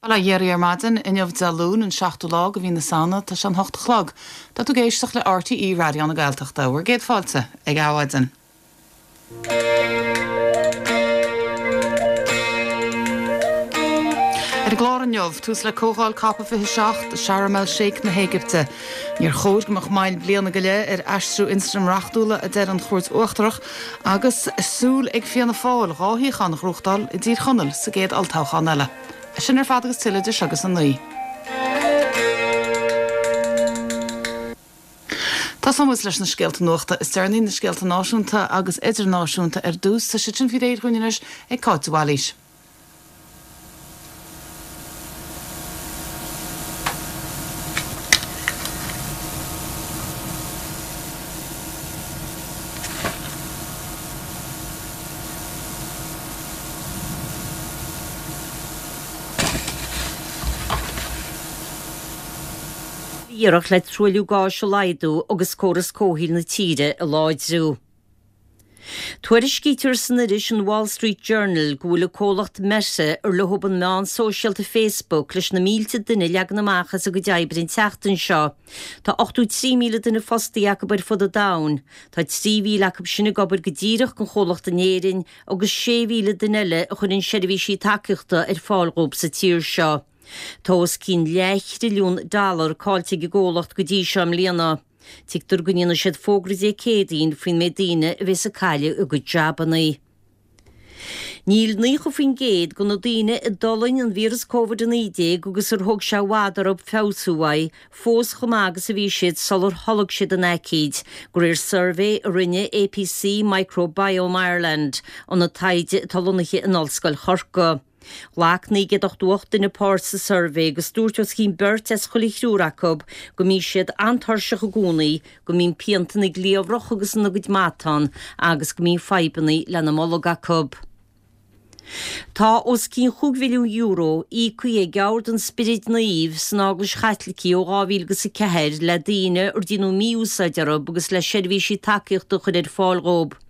Bail ó Dhia oraibh ar maidin, inniu Dé Luain, an seachtú lá de mhí na Samhna, tá sé an hocht a chlog. Tá tú ag éisteacht le RTÉ Raidió na Gaeltachta. Bhur gcéad fáilte ag Adhmhaidin. Ar an gclár inniu, tús le Comhdháil Cop 27 i Sharm El Sheikh na hÉigipte. Níor chóir go mbeadh moill bliana go leith ar aistriú ionstraim reachtúla, a deir an Chúirt Uachtarach, agus súil ag Fianna Fáil 2 shuíochán a ghnóthachtáil i dTír Chonaill sa gcéad olltoghchán eile. É sin ar fad agus tuilleadh idir seo agus a 9. Tosóidh muid leis na scéalta nuachta is deireanaí, na scéalta náisiúnta agus idirnáisiúnta ar dtús. Tá siad sin faoi réir dhúinn anois ag Cáit de Bhailís. Iarracht le truailliú gáis a laghdú agus córas comhshaoil na tíre a láidriú. Tuairiscítear san iris an Wall Street Journal go bhfuil an comhlacht Meta, ar leo an meán sóisialta Facebook, leis na mílte duine a leagan amach as a gcuid oibre an tseachtain seo. Tá 83,000 duine fostaithe acu ar fud an domhain. Tá 3,000 acu sin ag obair go díreach don chomhlacht in Éirinn agus 6,000 duine eile a chuireann seirbhísí tacaíochta ar fáil dhóibh sa tír seo. Tá os cionn leath-thrilliún dollar caillte ag an gcomhlacht go dtí seo i mbliana. Tuigtear go ndéanfaidh siad fógra Dé Céadaoin faoin méid daoine a bheas ag cailleadh a gcuid jabannaí. Níl 90% de na daoine a d'fhulaing an víreas Covid-19 agus ar thóg sé i bhfad orthu feabhsú uaidh, fós chomh maith agus a bhí siad sular tholg siad an aicíd, de réir suirbhé a rinne APC Microbiome Ireland, ionad taighde atá lonnaithe in Ollscoil Chorcaí. Ghlac 988 duine páirt sa suirbhé agus dúirt os cionn beirt as chuile thriúr acu go mbíonn siad an-tuirseach i gcónaí, go mbíonn pianta ina gcliabhrach agus ina gcuid matán agus go mbíonn fadhbanna lena mbolg acu. Tá os cionn chúig mhilliún euro íoctha ag Ord an Spioraid Naoimh san Eaglais Chaitlicigh ó 2004 le daoine ar déanadh mí-úsáid orthu agus le seirbhísí tacaíochta a chur ar fáil dhóibh.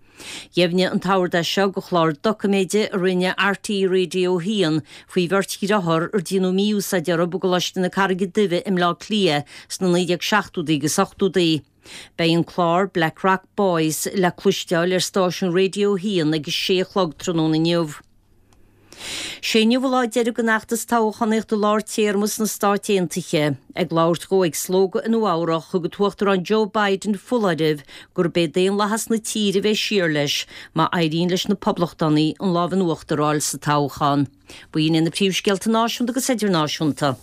Dheimhnigh an tOrd é seo do chlár doiciméide a rinne RTÉ Radio 1 faoi bheirt dhriotháir ar déanadh mí-úsáid orthu i gColáiste na Carraige Duibhe i mBleá Cliath sna 1970idí agus 80idí. Beidh an clár Blackrock Boys le cloisteáil ar stáisiún Radio 1 ag a sé a chlog tráthnóna inniu. Sé inniu an lá deiridh den fheachtas toghchánaíochta lár téarma sna Stáit Aontaithe. Ag labhairt dhó ag slógadh i Nua Eabhrach, thug an tUachtarán Joe Biden foláireamh gurb é daonlathas na tíre a bheidh siar leis má éiríonn leis na Poblachtánaigh an lámh in uachtar a fháil sa toghchán. B'in iad na príomhscéalta náisiúnta agus idirnáisiúnta.